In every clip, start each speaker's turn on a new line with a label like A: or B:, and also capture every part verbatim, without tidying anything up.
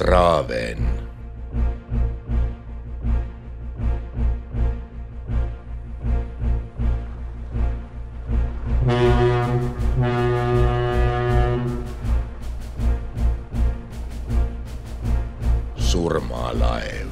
A: Traven. Surmalaev.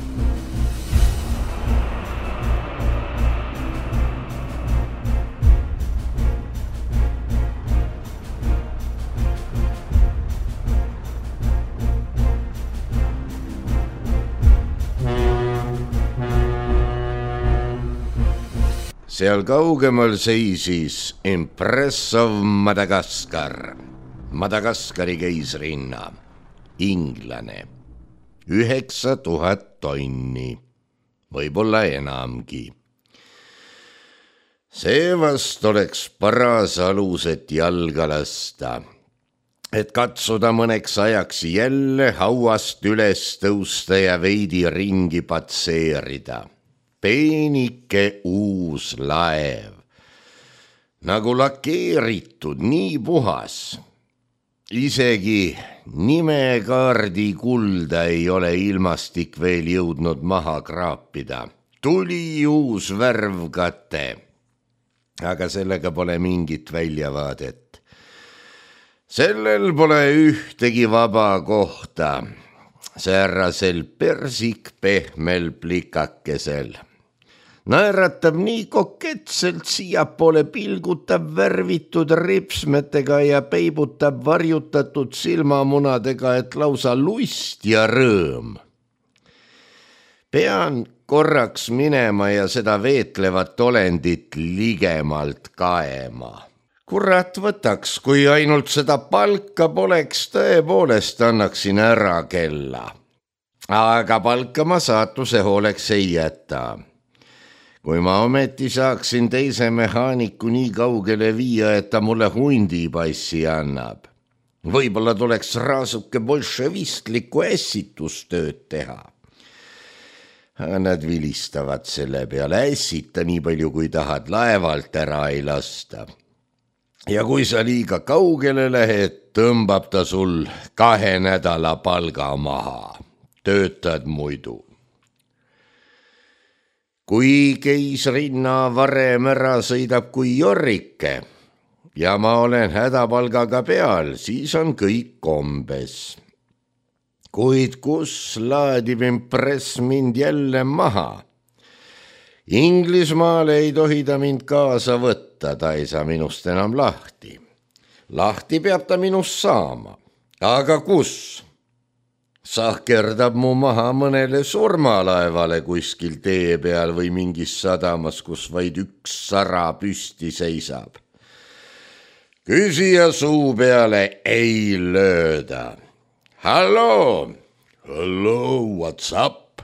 A: Seal kaugemal seisis Impressov Madagaskar, Madagaskari keisrinna, inglane, üheksa tuhat tonni, võib-olla enamgi. Seevast oleks paras alus, et jalga lasta, et katsuda mõneks ajaks jälle hauast üles tõusta ja veidi ringi patseerida. Peenike uus laev, nagu lakeeritud, nii puhas. Isegi nimekaardi kulda ei ole ilmastik veel jõudnud maha kraapida. Tuli uus värvkate, aga sellega pole mingit väljavaadet. Sellel pole ühtegi vaba kohta, säärasel persikpehmel plikakesel. Naeratab nii koketselt, siiapoole pilgutab värvitud ripsmetega ja peibutab varjutatud silmamunadega, et lausa lust ja rõõm. Pean korraks minema ja seda veetlevat olendit ligemalt kaema. Kurat võtaks, kui ainult seda palka poleks, tõepoolest annaksin ära kella. Aga palka ma saatuse hooleks ei jäta. Kui ma ometi saaksin teise mehaaniku nii kaugele viia, et ta mulle hundipassi annab. Võib-olla tuleks raasuke bolševistlikku ässitustööd teha. Nad vilistavad selle peale, ässita nii palju, kui tahad, laevalt ära ei lasta. Ja kui sa liiga kaugele lähed, tõmbab ta sul kahe nädala palga maha. Töötad muidu. Kui keisrinna varem ära sõidab kui jorrike ja ma olen hädapalgaga peal, siis on kõik kombes. Kuid kus laadib Impress mind jälle maha? Inglismaale ei tohi ta mind kaasa võtta, ta ei saa minust enam lahti. Lahti peab ta minust saama, aga kus? Sahkerdab mu maha mõnele surmalaevale kuskil tee peal või mingis sadamas, kus vaid üks sara püsti seisab. Küsija suu peale ei lööda. Hallo, hallo, what's up?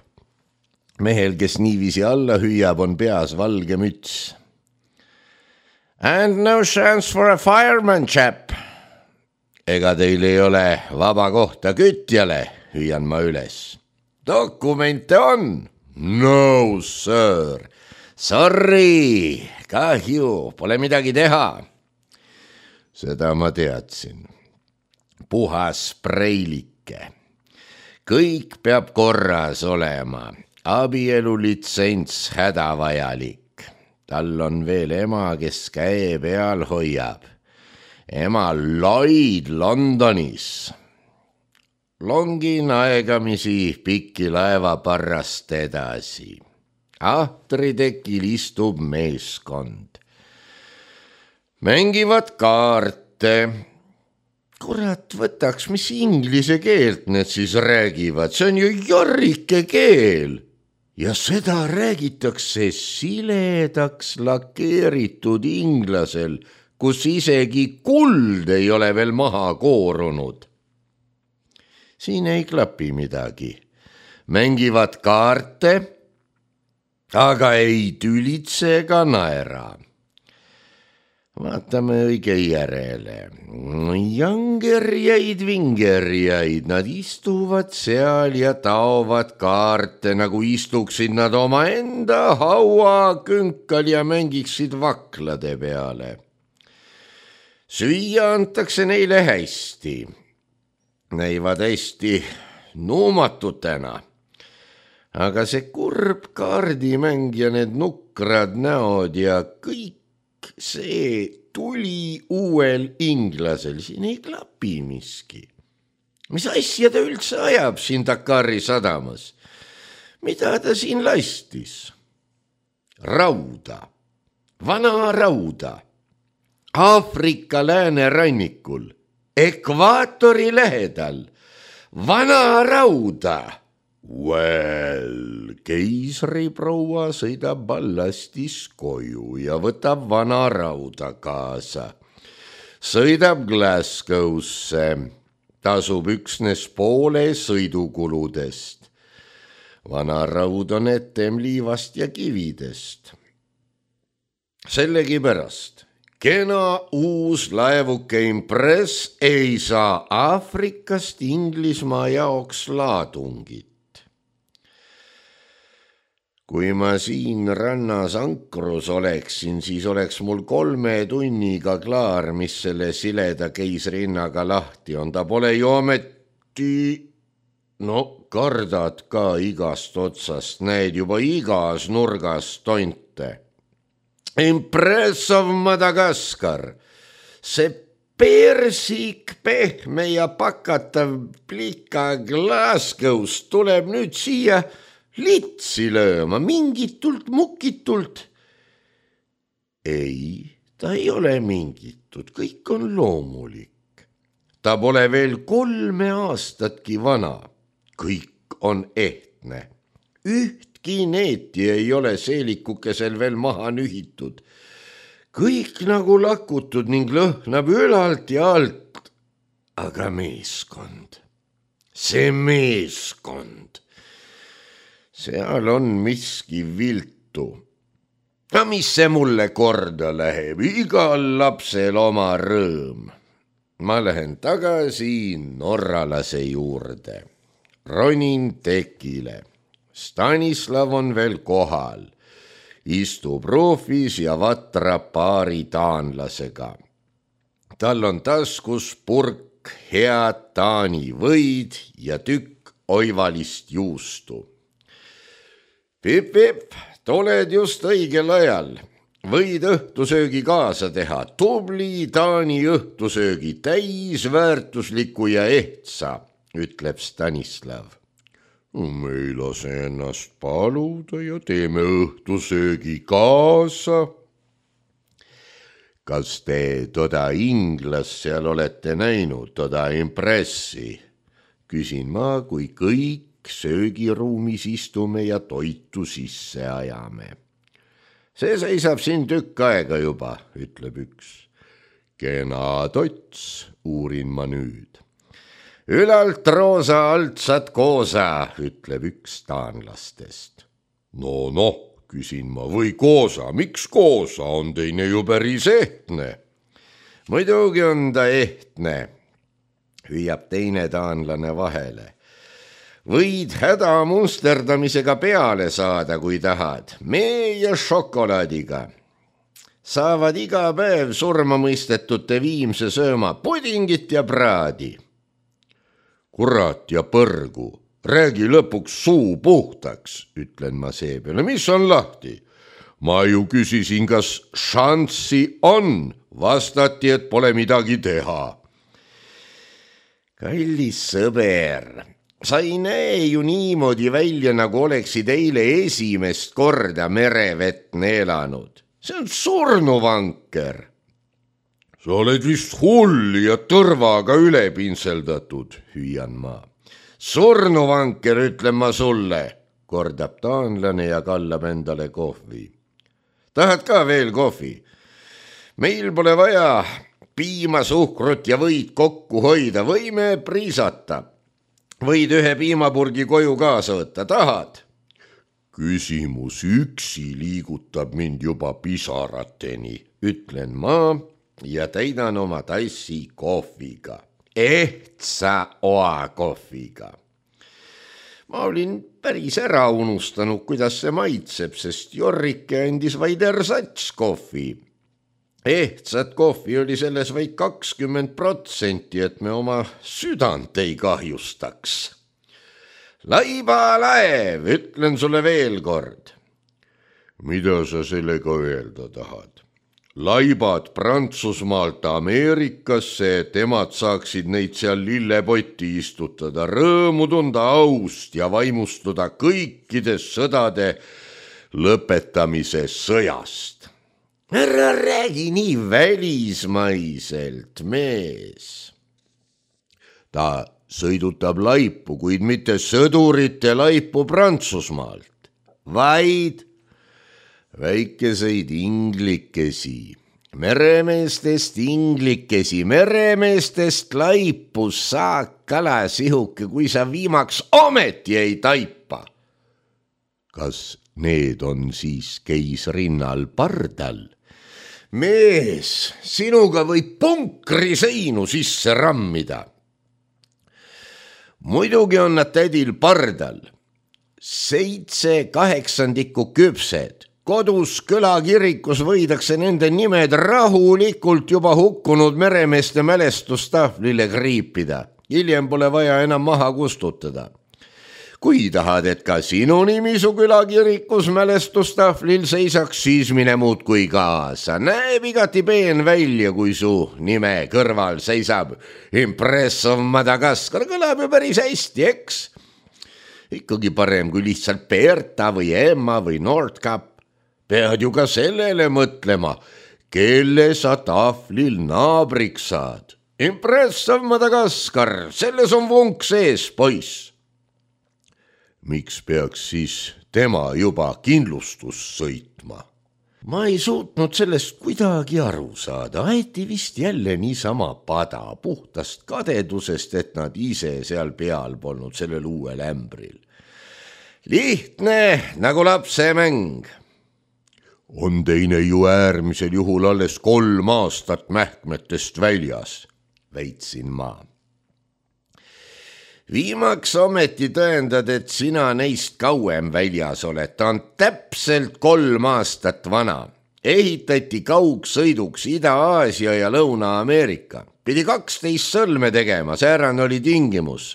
A: Mehel, kes niiviisi alla hüüab, on peas valge müts. And no chance for a fireman, chap. Ega teil ei ole vaba kohta kütjale, hüüan ma üles. Dokumente on? No, sir. Sorry, kahju, pole midagi teha. Seda ma teadsin. Puhas preilike. Kõik peab korras olema. Abielulitsents hädavajalik. Tal on veel ema, kes käe peal hoiab. Ema Lloyd Londonis. Longin aegamisi pikki laevaparrast edasi. Ahtritekil istub meeskond. Mängivad kaarte. Kurat võtaks, mis inglise keelt need siis räägivad. See on ju jorrike keel. Ja seda räägitakse siledaks lakeeritud inglasel, kus isegi kuld ei ole veel maha koorunud. Siin ei klapi midagi. Mängivad kaarte, aga ei tülitse ega naera. Vaatame õige järele. Jangerjaid, vingerjaid, nad istuvad seal ja taovad kaarte, nagu istuksid nad oma enda haua künkal ja mängiksid vaklade peale. Süüa antakse neile hästi. Näivad hästi nuumatutena. aga see kurb kaardimäng ja need nukrad näod ja kõik see tuli uuel inglasel, siin ei klapi miski. mis asja ta üldse ajab siin Dakari sadamas? mida ta siin lastis? rauda, vana rauda, Aafrika läänerannikul, ekvaatori lähedal, vana rauda. Well, keisriproua sõidab ballastis koju ja võtab vana rauda kaasa. sõidab Glasgow'sse, tasub üksnes poole sõidukuludest. vana raud on etem liivast ja kividest. sellegipärast kena uus laevuke Impress ei saa Aafrikast Inglismaa jaoks laadungit. kui ma siin rannas ankrus oleksin, siis oleks mul kolme tunniga klaar, mis selle sileda keisrinnaga lahti on. ta pole ju ometi... no kardad ka igast otsast, näed juba igas nurgas tonte. Impress of Madagaskar, see persik, pehme ja pakatav plika Glasgow'st tuleb nüüd siia litsi lööma, mingitult mukitult. ei, ta ei ole mingitud, kõik on loomulik. ta pole veel kolme aastatki vana, kõik on ehtne. ühtki neeti ei ole seelikukesel veel maha nühitud. kõik nagu lakutud ning lõhnab ülalt ja alt. aga meeskond, see meeskond, seal on miski viltu. aga mis see mulle korda läheb, igal lapsel oma rõõm. ma lähen tagasi norralase juurde, ronin tekile. Stanislav on veel kohal, istub ruufis ja vatrab paari taanlasega. tal on taskus purk head Taani võid ja tükk oivalist juustu. Pip-pip, tuled just õigel ajal. võid õhtusöögi kaasa teha, tubli Taani õhtusöögi, täisväärtusliku ja ehtsa, ütleb Stanislav. me ei lase ennast paluda ja teeme õhtusöögi kaasa. kas te toda inglast seal olete näinud, toda Impressi? küsin ma, kui kõik söögiruumis istume ja toitu sisse ajame. see seisab siin tükk aega juba, ütleb üks. kena tots, uurin ma nüüd. ülalt roosa, altsat koosa, ütleb üks taanlastest. no noh, küsin ma, või koosa, miks koosa, on teine ju päris ehtne. muidugi on ta ehtne, hüüab teine taanlane vahele. võid häda musterdamisega peale saada, kui tahad, mee ja šokolaadiga. saavad iga päev surmamõistetute viimse sööma pudingit ja praadi. kurat ja põrgu, räägi lõpuks suu puhtaks, ütlen ma seepeale, mis on lahti? ma ju küsisin, kas šanssi on, vastati, et pole midagi teha. kallis sõber, sa ei näe ju niimoodi välja, nagu oleksid eile esimest korda merevett neelanud. see on surnuvanker. sa oled vist hull ja tõrvaga üle pintseldatud, hüüan ma. surnuvanker, ütlen ma sulle, kordab taanlane ja kallab endale kohvi. tahad ka veel kohvi? meil pole vaja piima, suhkrut ja võid kokku hoida, võime priisata. võid ühe piimapurgi koju kaasa võtta, tahad? küsimus üksi liigutab mind juba pisarateni, ütlen ma ja täidan oma tassi kohviga, ehtsa oakohviga. ma olin päris ära unustanud, kuidas see maitseb, sest Jorrike andis vaid ersats kohvi. ehtsat kohvi oli selles vaid kakskümmend protsenti, et me oma südant ei kahjustaks. laibalaev, ütlen sulle veel kord. Mida sa sellega öelda tahad? Laibad Prantsusmaalt Ameerikasse, et emad saaksid neid seal lillepotti istutada, rõõmu tunda aust ja vaimustuda kõikides sõdade lõpetamise sõjast. Ära räägi nii välismaiselt, mees. Ta sõidutab laipu, kuid mitte sõdurite laipu Prantsusmaalt, vaid väikeseid inglikesi, meremeestest inglikesi, meremeestest laipu saak kalasihuke, kui sa viimaks ometi ei taipa. Kas need on siis keisrinnal pardal? Mees, sinuga võib punkri seinu sisse rammida. Muidugi on nad tädil pardal. Seitse kaheksandikku küpsed. Kodus külakirikus võidakse nende nimed rahulikult juba hukkunud meremeeste mälestustahvlile kriipida. Hiljem pole vaja enam maha kustutada. Kui tahad, et ka sinu nimi su külakirikus mälestustahvlil seisaks, siis mine muud kui kaasa. Näeb igati peen välja, kui su nime kõrval seisab Impressov Madagaskar. Kõlab ju päris hästi, eks? Ikkagi parem kui lihtsalt Berta või Emma või Nordkap. Pead ju ka sellele mõtlema, kelle sa tahvlil naabriks saad. Impressov Madagaskar, selles on vunk sees, poiss. Miks peaks siis tema juba kindlustus sõitma? Ma ei suutnud sellest kuidagi aru saada. Aeti vist jälle niisama pada puhtast kadedusest, et nad ise seal peal polnud sellel uuel ämbril. Lihtne nagu lapsemäng. On teine ju äärmisel juhul alles kolm aastat mähkmetest väljas, väitsin ma. Viimaks ometi tõendad, et sina neist kauem väljas oled. Ta on täpselt kolm aastat vana. Ehitati kaugsõiduks Ida-Aasia ja Lõuna-Ameerika. Pidi kaksteist sõlme tegema, säärane oli tingimus.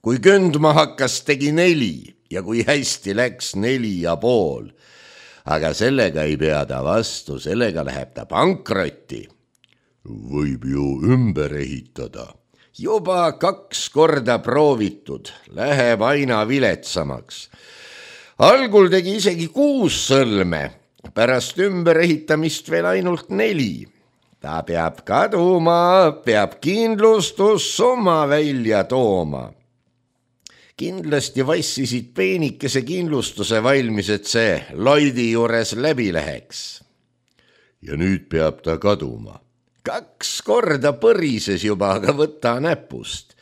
A: Kui kündma hakkas, tegi neli ja kui hästi läks neli ja pool. Aga sellega ei pea ta vastu, sellega läheb ta pankrotti. Võib ju ümber ehitada. Juba kaks korda proovitud, läheb aina viletsamaks. Algul tegi isegi kuus sõlme, pärast ümberehitamist veel ainult neli. Ta peab kaduma, peab kindlustussumma välja tooma. Kindlasti vassisid peenikese kindlustuse valmis, et see Lloydi juures läbi läheks. Ja nüüd peab ta kaduma. Kaks korda põrises juba, aga võta näpust.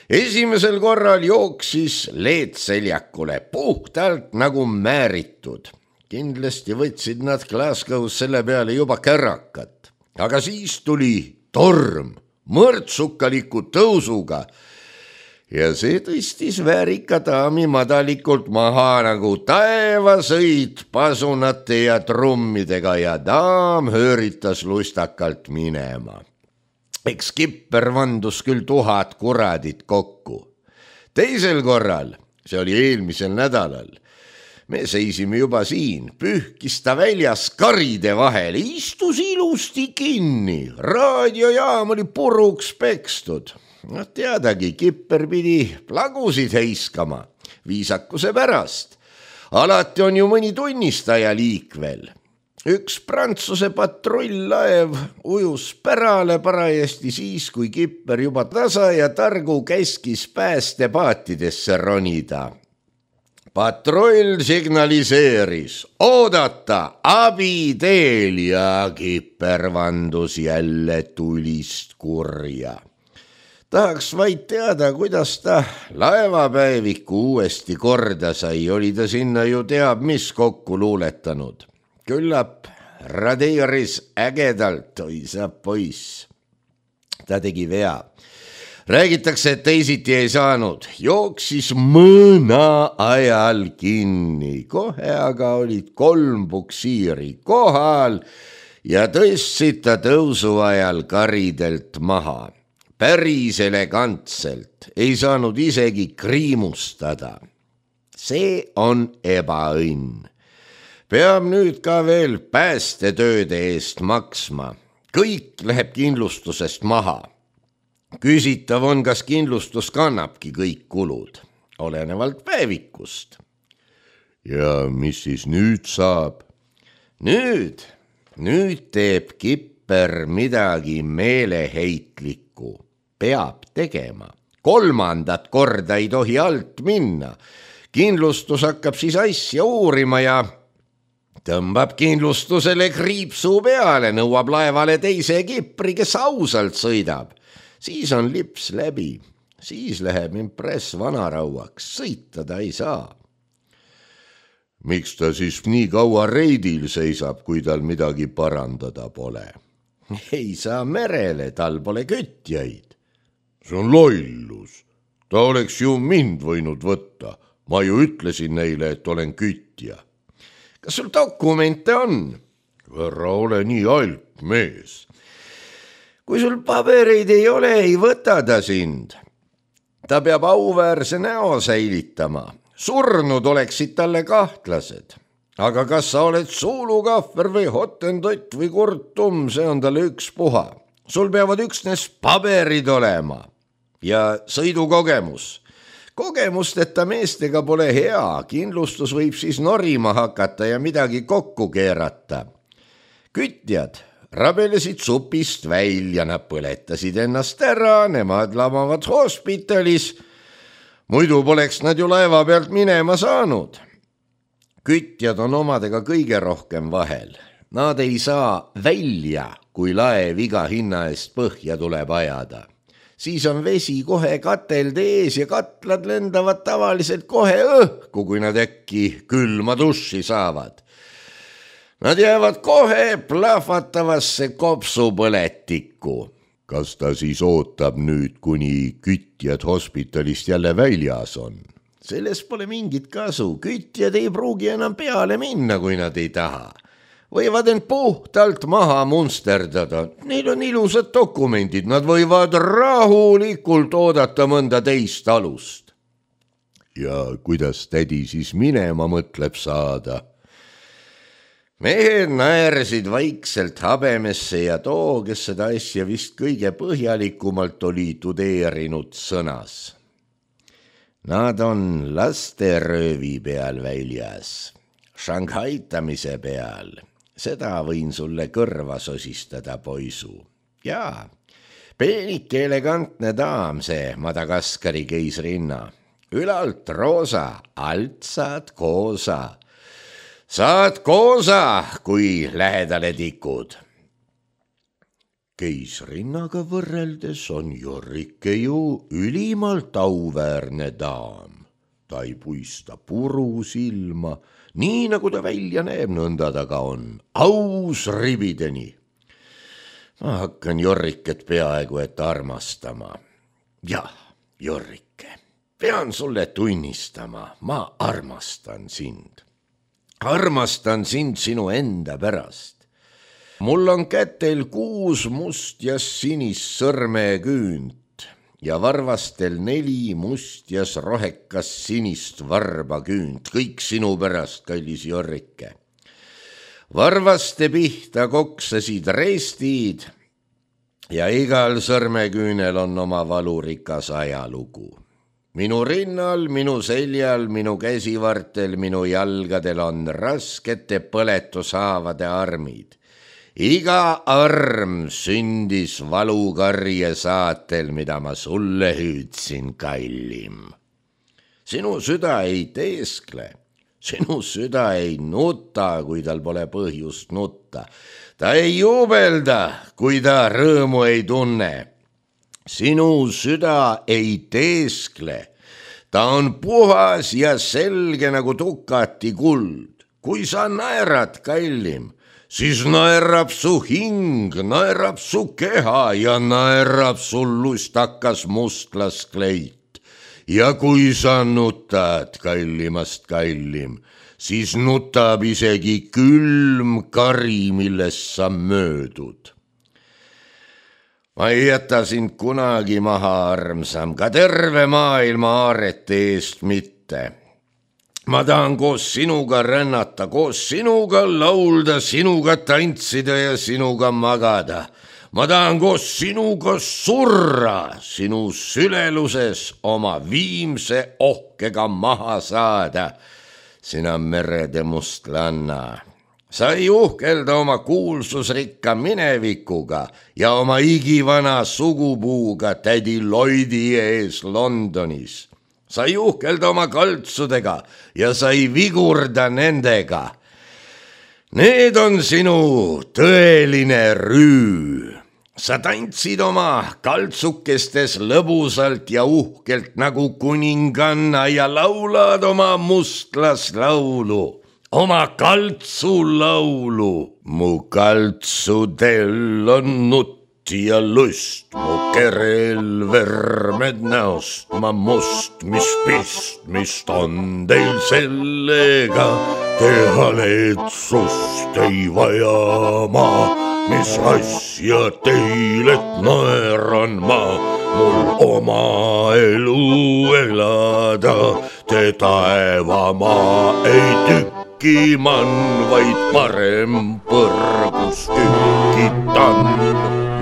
A: Esimesel korral jooksis leedseljakule puhtalt nagu määritud. Kindlasti võtsid nad Glasgow's selle peale juba kärakat. Aga siis tuli torm mõrtsukaliku tõusuga ja see tõstis väärika daami madalikult maha nagu taevasõit pasunate ja trummidega ja daam hööritas lustakalt minema. Eks kipper vandus küll tuhat kuradit kokku. Teisel korral, see oli eelmisel nädalal, me seisime juba siin, pühkis ta väljas karide vahele, istus ilusti kinni, raadiojaam oli puruks pekstud. No teadagi, kipper pidi plagusid heiskama, viisakuse pärast. Alati on ju mõni tunnistaja liikvel. Üks Prantsuse patrull-laev ujus pärale parajasti siis, kui kipper juba tasa ja targu käskis päästepaatidesse ronida. Patrull signaliseeris, oodata, abi teel ja kipper vandus jälle tulist kurja. Tahaks vaid teada, kuidas ta laevapäeviku uuesti korda sai, oli ta sinna ju teab mis kokku luuletanud. Küllap radeeris ägedalt, oi sa poiss. Ta tegi vea. Räägitakse, et teisiti ei saanud. Jooksis mõna ajal kinni. Kohe aga olid kolm puksiiri kohal ja tõstsid ta tõusu ajal karidelt maha. päris elegantselt, ei saanud isegi kriimustada. See on ebaõnn. Peab nüüd ka veel päästetööde eest maksma. Kõik läheb kindlustusest maha. Küsitav on, kas kindlustus kannabki kõik kulud, olenevalt päevikust. Ja mis siis nüüd saab? Nüüd, nüüd teeb kipper midagi meeleheitlikku. Peab tegema. Kolmandat korda ei tohi alt minna. Kindlustus hakkab siis asja uurima ja tõmbab kindlustusele kriipsu peale, nõuab laevale teise kipri, kes ausalt sõidab. Siis on lips läbi, siis läheb impress vanarauaks, sõita ta ei saa. Miks ta siis nii kaua reidil seisab, kui tal midagi parandada pole? Ei saa merele, tal pole kütjaid. See on lollus. Ta oleks ju mind võinud võtta. Ma ju ütlesin neile, et olen kütja. Kas sul dokumente on? Ära ole nii alt mees. Kui sul pabereid ei ole, ei võta ta sind. Ta peab auväärse näo säilitama. Surnud oleksid talle kahtlased. Aga kas sa oled suulukahver või hotentott või kurtum, see on talle üks puha. Sul peavad üksnes paberid olema ja sõidukogemus. Kogemusteta meestega pole hea, kindlustus võib siis norima hakata ja midagi kokku keerata. Kütjad rabelesid supist välja, nad põletasid ennast ära, nemad lamavad hospitalis. Muidu poleks nad ju laeva pealt minema saanud. Kütjad on omadega kõige rohkem vahel. Nad ei saa välja, kui laev iga hinna eest põhja tuleb ajada. Siis on vesi kohe katelde ees ja katlad lendavad tavaliselt kohe õhku, kui nad äkki külma duši saavad. Nad jäävad kohe plahvatavasse kopsupõletikku. Kas ta siis ootab nüüd, kuni kütjad hospitalist jälle väljas on? Sellest pole mingit kasu. Kütjad ei pruugi enam peale minna, kui nad ei taha. Võivad end puhtalt maha munsterdada. Neil on ilusad dokumendid, nad võivad rahulikult oodata mõnda teist alust. Ja kuidas tädi siis minema mõtleb saada? Mehed naersid vaikselt habemesse ja too, kes seda asja vist kõige põhjalikumalt oli tudeerinud, sõnas. Nad on lasteröövi peal väljas, šanghaitamise peal. Seda võin sulle kõrva sosistada, poisu. Jaa, peenike elegantne daam see Madagaskari keisrinna. Ülalt roosa, alt saad koosa. Saad koosa, kui lähedale tikud. Keisrinnaga võrreldes on Jorrike ju ülimalt auväärne daam. Ta ei puista puru silma, nii nagu ta välja näeb, nõnda ta ka on. Aus ribideni. Ma hakkan Jorriket peaaegu et armastama. Jah, Jorrike, pean sulle tunnistama, ma armastan sind. Armastan sind sinu enda pärast. Mul on kätel kuus must ja sinist sõrmeküünt ja varvastel neli must ja rohekas sinist varbaküünt, kõik sinu pärast, kallis Jorrike. Varvaste pihta koksasid reestid ja igal sõrmeküünel on oma valurikas ajalugu. Minu rinnal, minu seljal, minu käsivartel, minu jalgadel on raskete põletushaavade armid. Iga arm sündis valukarje saatel, mida ma sulle hüüdsin, kallim. Sinu süda ei teeskle, sinu süda ei nuta, kui tal pole põhjust nutta. Ta ei jubelda, kui ta rõõmu ei tunne. Sinu süda ei teeskle, ta on puhas ja selge nagu tukati kuld. Kui sa naerad, kallim, siis naerab su hing, naerab su keha ja naerab sul lustakas mustlaskleit. Ja kui sa nutad, kallimast kallim, siis nutab isegi külm kari, millest sa möödud. ma ei jäta sind kunagi maha, armsam, ka terve maailma aarete eest mitte. ma tahan koos sinuga rännata, koos sinuga laulda, sinuga tantsida ja sinuga magada. ma tahan koos sinuga surra, sinu süleluses oma viimse ohkega maha saada. sina merede mustlanna, sa ei uhkelda oma kuulsusrikka minevikuga ja oma igivana sugupuuga tädi Lloydi ees Londonis. sa ei uhkelda oma kaltsudega ja sa ei vigurda nendega. Need on sinu tõeline rüü. sa tantsid oma kaltsukestes lõbusalt ja uhkelt nagu kuninganna ja laulad oma mustlaslaulu, oma kaltsulaulu. mu kaltsudel on nutt ja lust, mu kerel vermed näost ma must, mis pistmist on teil sellega, te haletsust ei vaja ma, mis asja teil, et naeran ma, mul oma elu elada, te taevamaa ei tüki man, vaid parem põrgus tükitan.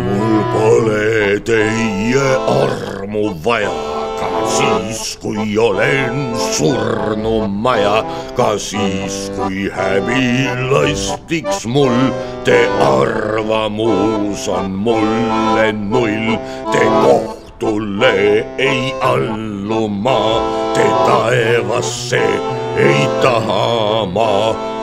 A: mul pole teie armu vaja, ka siis, kui olen surnumaja, ka siis, kui häbi lastiks mul, te arvamus on mulle null, te kohtule ei allu ma, te taevasse ei taha ma,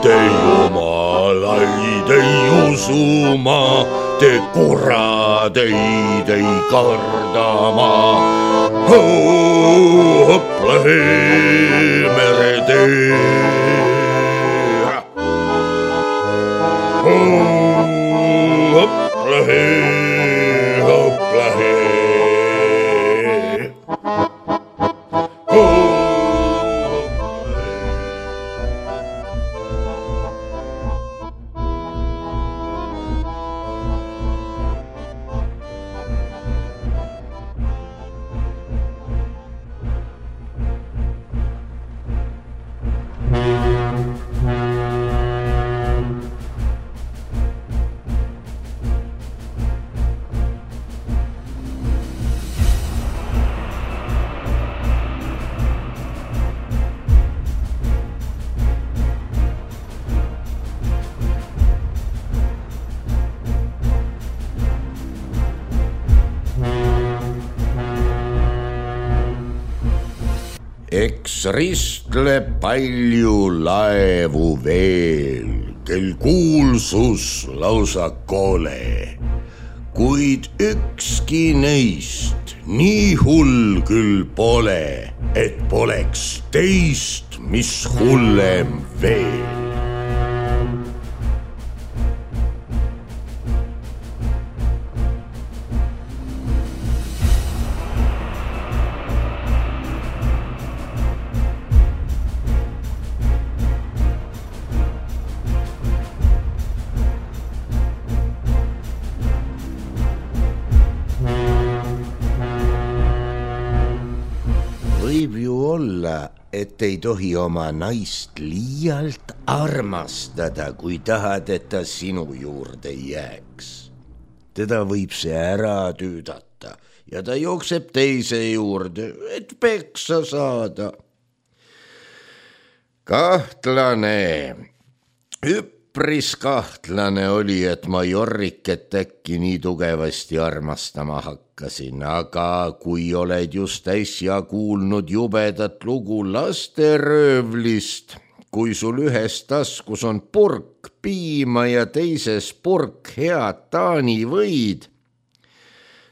A: te jumalaid ei usu ma, te kuradeid ei karda ma. Hopla hee meretee, hopla hee, hopla hee. eks ristleb palju laevu veel, kel kuulsus lausa kole, kuid ükski neist nii hull küll pole, et poleks teist, mis hullem veel. Võib ju olla, et ei tohi oma naist liialt armastada, kui tahad, et ta sinu juurde jääks. Teda võib see ära tüüdata ja ta jookseb teise juurde, et peksa saada. Kahtlane, üpris kahtlane oli, et ma Jorriket äkki nii tugevasti armastama hakkasin, aga kui oled just äsja kuulnud jubedat lugu lasteröövlist, kui sul ühes taskus on purk piima ja teises purk head taanivõid,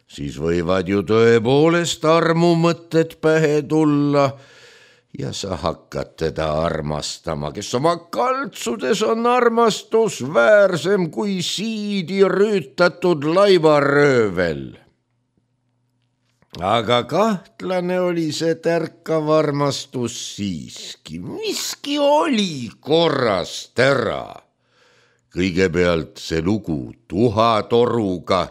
A: siis võivad ju tõepoolest armumõtted pähe tulla ja sa hakkad teda armastama, kes oma kaltsudes on armastusväärsem kui siidi rüütatud laivaröövel. Aga kahtlane oli see tärkav armastus siiski, miski oli korrast ära. Kõigepealt see lugu tuhatoruga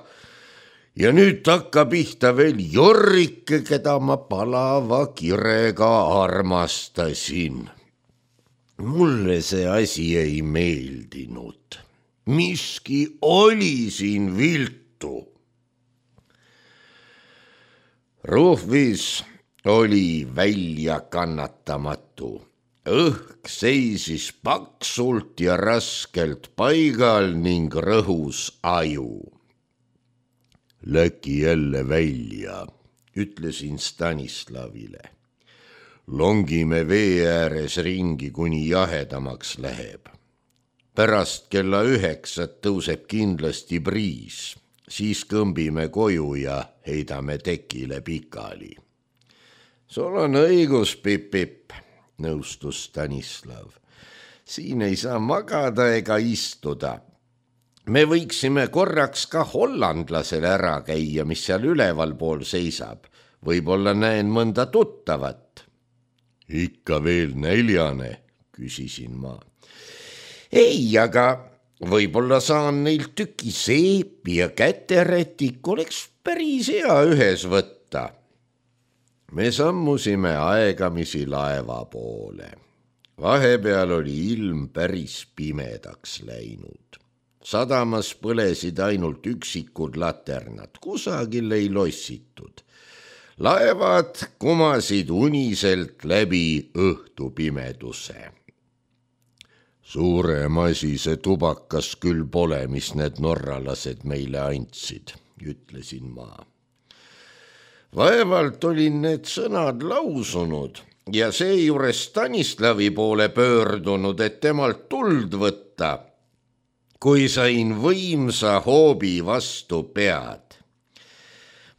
A: ja nüüd takka pihta veel Jorrike, keda ma palava kirega armastasin. Mulle see asi ei meeldinud. Miski oli siin viltu. Ruhvis oli välja kannatamatu. Õhk seisis paksult ja raskelt paigal ning rõhus aju. Läki jälle välja, ütlesin Stanislavile. Longime vee ääres ringi, kuni jahedamaks läheb. Pärast kella üheksat tõuseb kindlasti briis, siis kõmbime koju ja heidame tekile pikali. Sul on õigus, Pip-Pip, nõustus Stanislav. Siin ei saa magada ega istuda. Me võiksime korraks ka hollandlasele ära käia, mis seal üleval pool seisab. Võib-olla näen mõnda tuttavat. Ikka veel näljane, küsisin ma. Ei, aga võib-olla saan neilt tüki seepi ja käterätik oleks päris hea ühes võtta. Me sammusime aegamisi laeva poole. Vahepeal oli ilm päris pimedaks läinud. Sadamas põlesid ainult üksikud laternad, kusagil ei lossitud. Laevad kumasid uniselt läbi õhtupimeduse. Suurem asi see tubakas küll pole, mis need norralased meile andsid, ütlesin ma. Vaevalt olin need sõnad lausunud ja seejuures Stanislavi poole pöördunud, et temalt tuld võtta, kui sain võimsa hoobi vastu pead.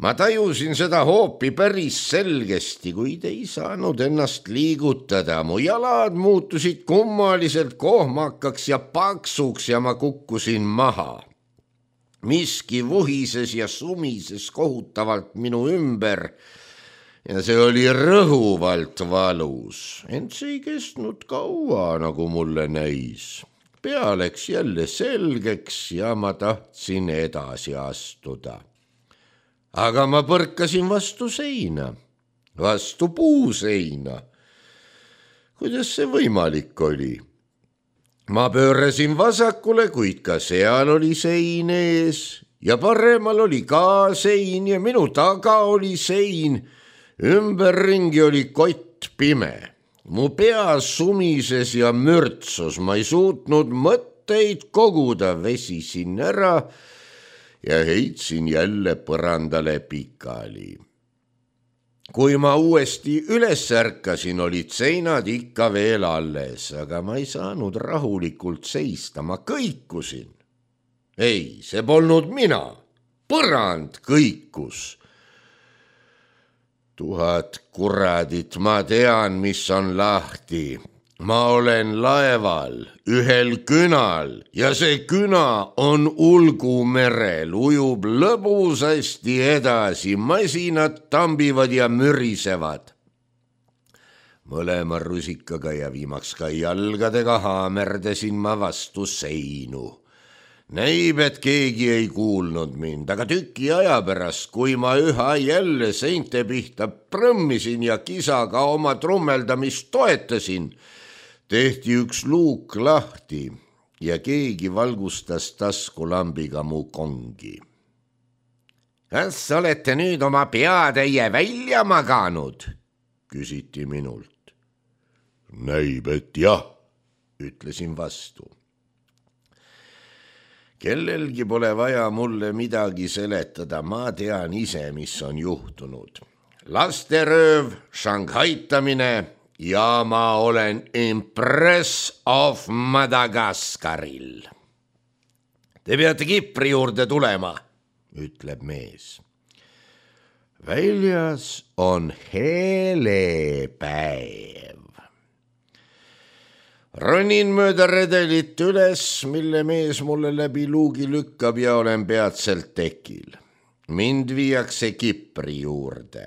A: Ma tajusin seda hoopi päris selgesti, kuid ei saanud ennast liigutada. Mu jalad muutusid kummaliselt kohmakaks ja paksuks ja ma kukkusin maha. Miski vuhises ja sumises kohutavalt minu ümber ja see oli rõhuvalt valus. Ent see ei kestnud kaua, nagu mulle näis. Pea läks jälle selgeks ja ma tahtsin edasi astuda. Aga ma põrkasin vastu seina, vastu puuseina. Kuidas see võimalik oli? Ma pöörasin vasakule, kuid ka seal oli sein ees ja paremal oli ka sein ja minu taga oli sein. Ümberringi oli kott pime. Mu pea sumises ja mürtsus, ma ei suutnud mõtteid koguda, vesisin ära ja heitsin jälle põrandale pikali. Kui ma uuesti üles ärkasin, olid seinad ikka veel alles, aga ma ei saanud rahulikult seista, ma kõikusin. Ei, see polnud mina, põrand kõikus. Tuhat kuradit, ma tean, mis on lahti. Ma olen laeval, ühel künal ja see küna on Ulgumerel, ujub lõbusasti edasi, masinad tambivad ja mürisevad. Mõlema rusikaga ja viimaks ka jalgadega haamerdasin ma vastu seinu. Näib, et keegi ei kuulnud mind, aga tüki aja pärast, kui ma üha jälle seinte pihta prõmmisin ja kisaga oma trummeldamist toetasin, tehti üks luuk lahti ja keegi valgustas taskulambiga mu kongi. Kas olete nüüd oma peatäie välja maganud? Küsiti minult. Näib, et jah, ütlesin vastu. Kellelgi pole vaja mulle midagi seletada, ma tean ise, mis on juhtunud. Lasterööv, šanghaitamine ja ma olen Empress of Madagaskaril. Te peate Kipri juurde tulema, ütleb mees. Väljas on hele päev. Ronin mööda redelit üles, mille mees mulle läbi luugi lükkab ja olen peatselt tekil. Mind viiakse Kipri juurde.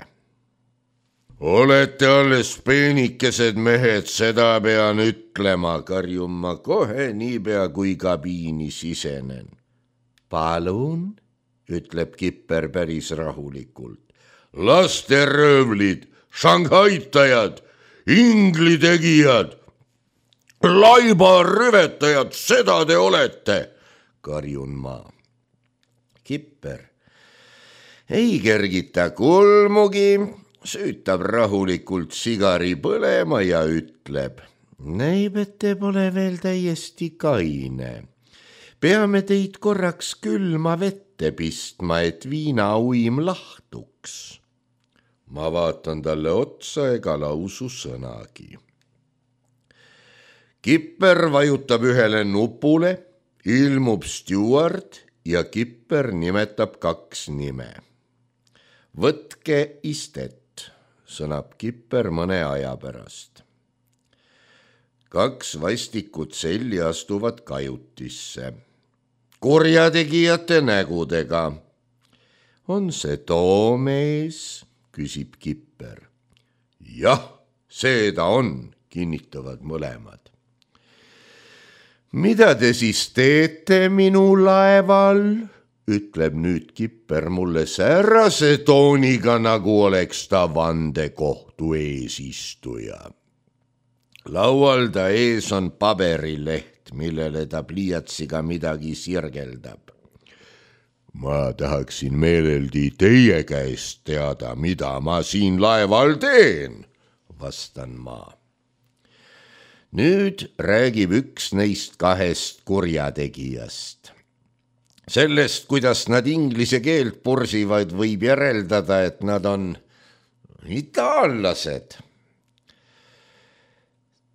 A: Olete alles peenikesed mehed, seda pean ütlema, karjun ma kohe niipea kui kabiini sisenen. Palun, ütleb Kipper päris rahulikult. lasteröövlid, šanghaitajad, inglitegijad, laibarüvetajad, seda te olete, karjun ma. Kipper ei kergita kulmugi, süütab rahulikult sigari põlema ja ütleb: näib, et te pole veel täiesti kaine. peame teid korraks külma vette pistma, et viinauim lahtuks. ma vaatan talle otsa ega lausu sõnagi. Kipper vajutab ühele nupule, ilmub stjuard ja Kipper nimetab kaks nime. võtke istet, sõnab Kipper mõne aja pärast. kaks vastikut selli astuvad kajutisse, kurjategijate nägudega. on see too mees, küsib Kipper. jah, see ta on, kinnitavad mõlemad. mida te siis teete minu laeval, ütleb nüüd Kipper mulle säärase tooniga, nagu oleks ta vandekohtu eesistuja. laual ta ees on paberileht, millele ta pliiatsiga midagi sirgeldab. ma tahaksin meeleldi teie käest teada, mida ma siin laeval teen, vastan ma. nüüd räägib üks neist kahest kurjategijast. sellest, kuidas nad inglise keelt pursivad, võib järeldada, et nad on itaallased.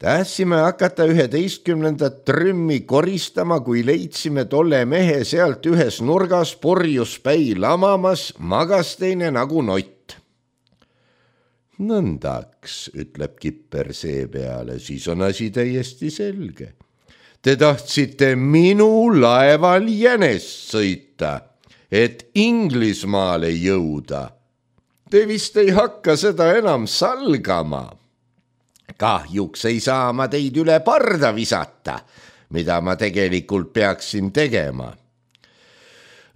A: tahtsime hakata üheteistkümnendat trümmi koristama, kui leidsime tolle mehe sealt ühes nurgas purjus päi lamamas, magas teine nagu nott. nõndaks, ütleb Kipper seepeale, siis on asi täiesti selge. Te tahtsite minu laeval jänest sõita, et Inglismaale jõuda. Te vist ei hakka seda enam salgama. kahjuks ei saa ma teid üle parda visata, mida ma tegelikult peaksin tegema.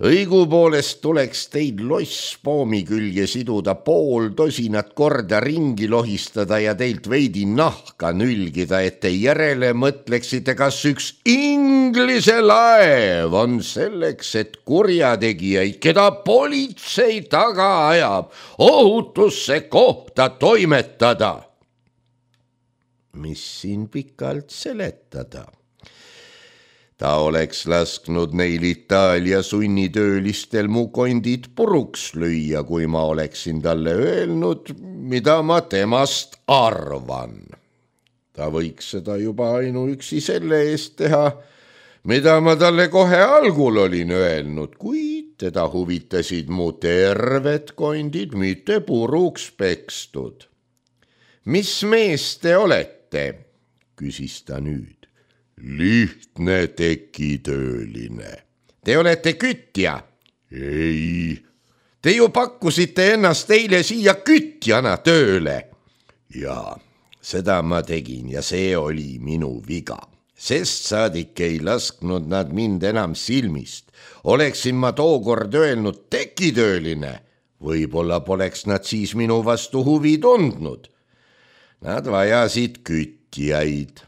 A: õigupoolest tuleks teid losspoomi külge siduda, pool tosinat korda ringi lohistada ja teilt veidi nahka nülgida, et te järele mõtleksite, kas üks Inglise laev on selleks, et kurjategijaid, keda politsei taga ajab, ohutusse kohta toimetada. mis siin pikalt seletada? ta oleks lasknud neil Itaalia sunnitöölistel mu kondid puruks lüüa, kui ma oleksin talle öelnud, mida ma temast arvan. ta võiks seda juba ainuüksi selle eest teha, mida ma talle kohe algul olin öelnud, kuid teda huvitasid mu terved kondid, mitte puruks pekstud. mis mees te olete, küsis ta nüüd. lihtne tekitööline. Te olete kütja? ei. Te ju pakkusite ennast eile siia kütjana tööle. jaa, seda ma tegin ja see oli minu viga. Sest saadik ei lasknud nad mind enam silmist. Oleksin ma tookord öelnud tekitööline, võib-olla poleks nad siis minu vastu huvi tundnud. Nad vajasid kütjaid.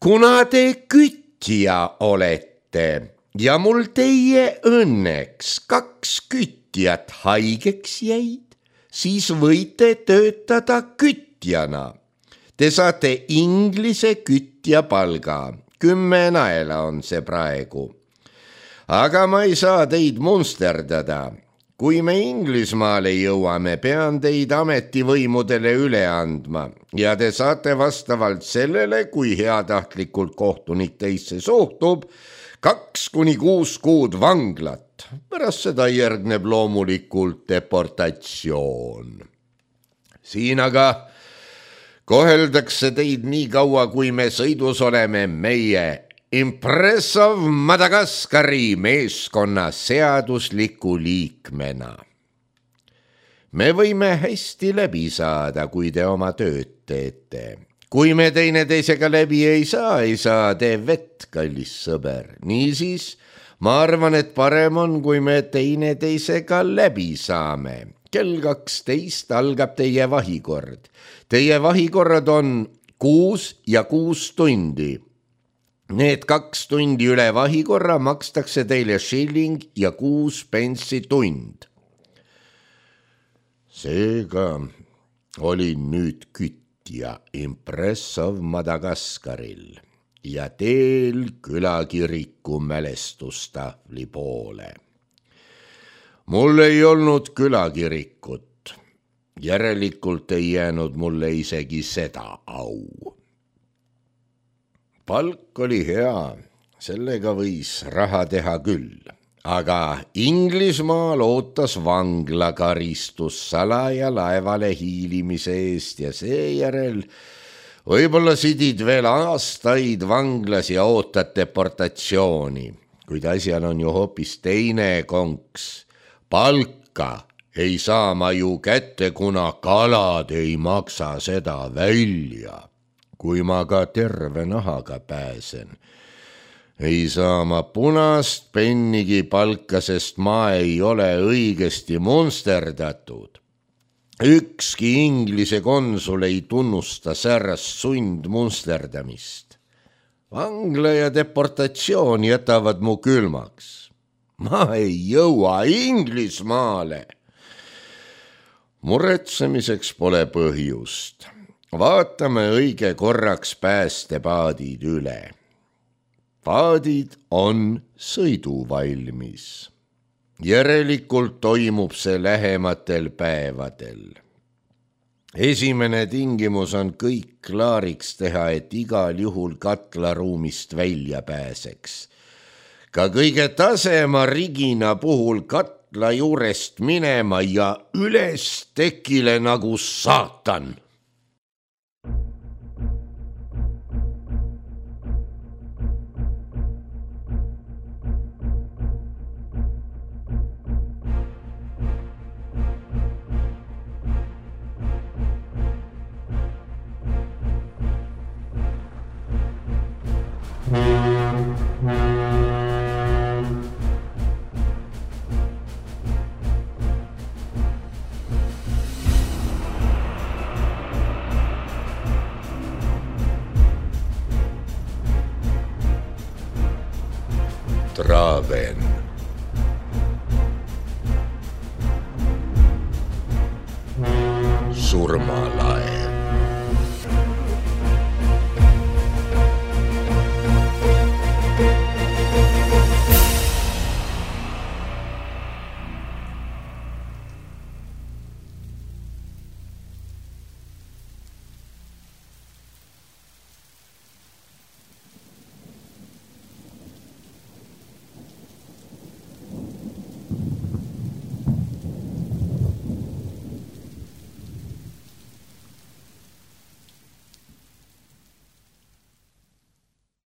A: kuna te kütja olete ja mul teie õnneks kaks kütjat haigeks jäid, siis võite töötada kütjana. Te saate Inglise kütja palga, kümme naela on see praegu. aga ma ei saa teid munsterdada. kui me Inglismaale jõuame, pean teid ametivõimudele üle andma ja te saate vastavalt sellele, kui heatahtlikult kohtunik teisse suhtub, kaks kuni kuus kuud vanglat. pärast seda järgneb loomulikult deportatsioon. siin aga koheldakse teid nii kaua, kui me sõidus oleme meie Impressov Madagaskari meeskonna seadusliku liikmena. me võime hästi läbi saada, kui te oma tööd teete, kui me teineteisega läbi ei saa, ei saa tee vett, kallis sõber. Niisiis, ma arvan, et parem on, kui me teineteisega läbi saame. Kell kaksteist algab teie vahikord. Teie vahikorrad on kuus ja kuus tundi. Need kaks tundi üle vahikorra makstakse teile shilling ja kuus penssi tund. Seega olin nüüd kütja Impressov Madagaskaril ja teel külakiriku mälestustahvli poole. Mul ei olnud külakirikut, järelikult ei jäänud mulle isegi seda au. Palk oli hea, sellega võis raha teha küll, aga Inglismaal ootas vanglakaristus salaja laevale hiilimise eest ja seejärel võib-olla sidid veel aastaid vanglas ja ootad deportatsiooni, kuid asjal on ju hoopis teine konks. Palka ei saa ma ju kätte, kuna kalad ei maksa seda välja. Kui ma ka terve nahaga pääsen, ei saa ma punast pennigi palka, sest ma ei ole õigesti monsterdatud. Ükski Inglise konsul ei tunnusta säärast sundmunsterdamist. Vangla ja deportatsioon jätavad mu külmaks. Ma ei jõua Inglismaale. Muretsemiseks pole põhjust. Vaatame õige korraks päästepaadid üle. Paadid on sõiduvalmis. Järelikult toimub see lähematel päevadel. Esimene tingimus on kõik klaariks teha, et igal juhul katlaruumist välja pääseks. Ka kõige tasema rigina puhul katla juurest minema ja üles tekile nagu saatan. Traven. Surmalaev.